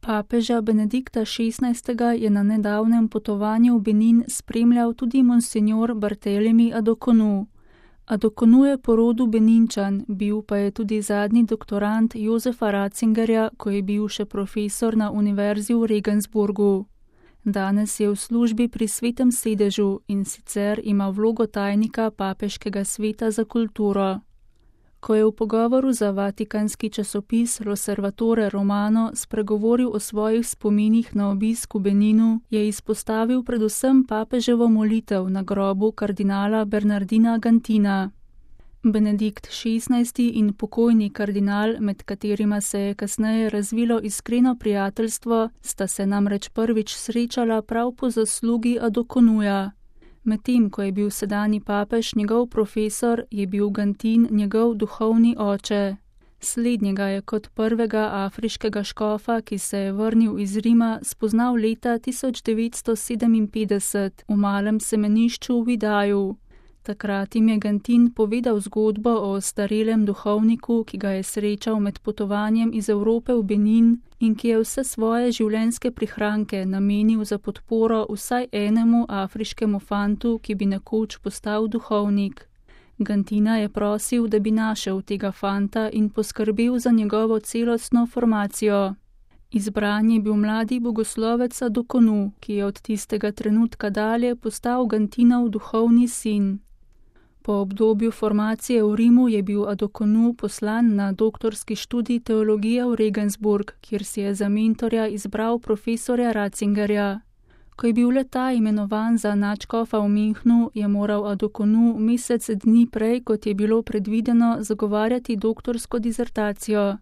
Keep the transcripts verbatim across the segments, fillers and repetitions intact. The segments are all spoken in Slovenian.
Papeža Benedikta šestnajstega je na nedavnem potovanju v Benin spremljal tudi monsinjor Barthélemy Adokonu. Adokonu je po rodu Beninčan, bil pa je tudi zadnji doktorand Josefa Ratzingerja, ko je bil še profesor na univerzi v Regensburgu. Danes je v službi pri Svetem sedežu in sicer ima vlogo tajnika Papeškega sveta za kulturo. Ko je v pogovoru za vatikanski časopis L'Osservatore Romano spregovoril o svojih spominih na obisk v Beninu, je izpostavil predvsem papeževo molitev na grobu kardinala Bernardina Gantina. Benedikt šestnajsti in pokojni kardinal, med katerima se je kasneje razvilo iskreno prijateljstvo, sta se namreč prvič srečala prav po zaslugi Adokonuja. Medtem, ko je bil sedanji papež njegov profesor, je bil Gantin njegov duhovni oče. Slednjega je kot prvega afriškega škofa, ki se je vrnil iz Rima, spoznal leta tisoč devetsto sedeminpetdeset v malem semenišču v Idaju. Takrat jim je Gantin povedal zgodbo o ostarelem duhovniku, ki ga je srečal med potovanjem iz Evrope v Benin in ki je vse svoje življenjske prihranke namenil za podporo vsaj enemu afriškemu fantu, ki bi nekoč postal duhovnik. Gantina je prosil, da bi našel tega fanta in poskrbel za njegovo celostno formacijo. Izbran je bil mladi bogoslovec Adokonu, ki je od tistega trenutka dalje postal Gantinov duhovni sin. Po obdobju formacije v Rimu je bil Adokonu poslan na doktorski študij teologije v Regensburg, kjer si je za mentorja izbral profesorja Ratzingerja. Ko je bil le ta imenovan za nadškofa v Münchnu, je moral Adokonu mesec dni prej, kot je bilo predvideno, zagovarjati doktorsko dizertacijo.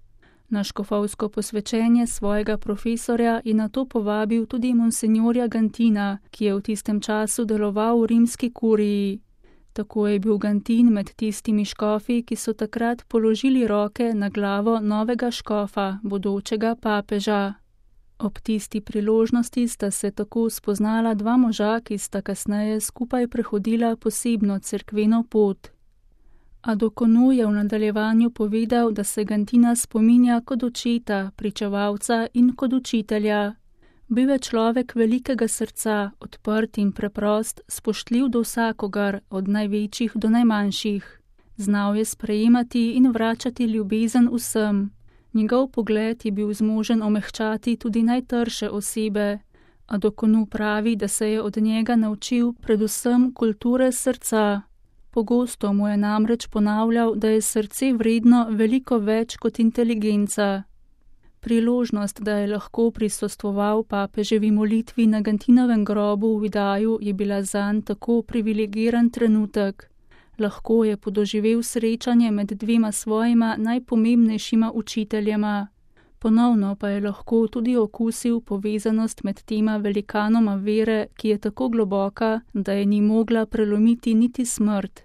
Na škofovsko posvečenje svojega profesorja je nato povabil tudi monsinjorja Gantina, ki je v tistem času deloval v rimski kuriji. Tako je bil Gantin med tistimi škofi, ki so takrat položili roke na glavo novega škofa, bodočega papeža. Ob tisti priložnosti sta se tako spoznala dva moža, ki sta kasneje skupaj prehodila posebno cerkveno pot. Adokonu je v nadaljevanju povedal, da se Gantina spominja kot očeta, pričevalca in kot učitelja. Bil je človek velikega srca, odprt in preprost, spoštljiv do vsakogar, od največjih do najmanjših. Znal je sprejemati in vračati ljubezen vsem. Njegov pogled je bil zmožen omehčati tudi najtrše osebe. Adokonu pravi, da se je od njega naučil predvsem kulture srca. Pogosto mu je namreč ponavljal, da je srce vredno veliko več kot inteligenca. Priložnost, da je lahko prisostvoval papeževi molitvi na Gantinovem grobu v Idaju, je bila zanj tako privilegiran trenutek. Lahko je podoživel srečanje med dvema svojima najpomembnejšima učiteljema. Ponovno pa je lahko tudi okusil povezanost med tema velikanoma vere, ki je tako globoka, da je ni mogla prelomiti niti smrt.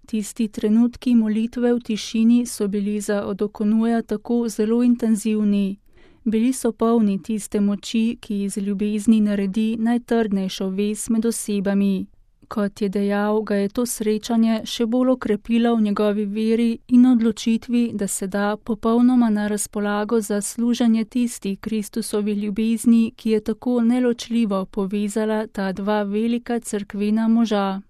Tisti trenutki molitve v tišini so bili za Adokonuja tako zelo intenzivni. Bili so polni tiste moči, ki iz ljubezni naredi najtrdnejšo vez med osebami. Kot je dejal, ga je to srečanje še bolj okrepilo v njegovi veri in odločitvi, da se da popolnoma na razpolago za služenje tisti Kristusovi ljubezni, ki je tako neločljivo povezala ta dva velika cerkvena moža.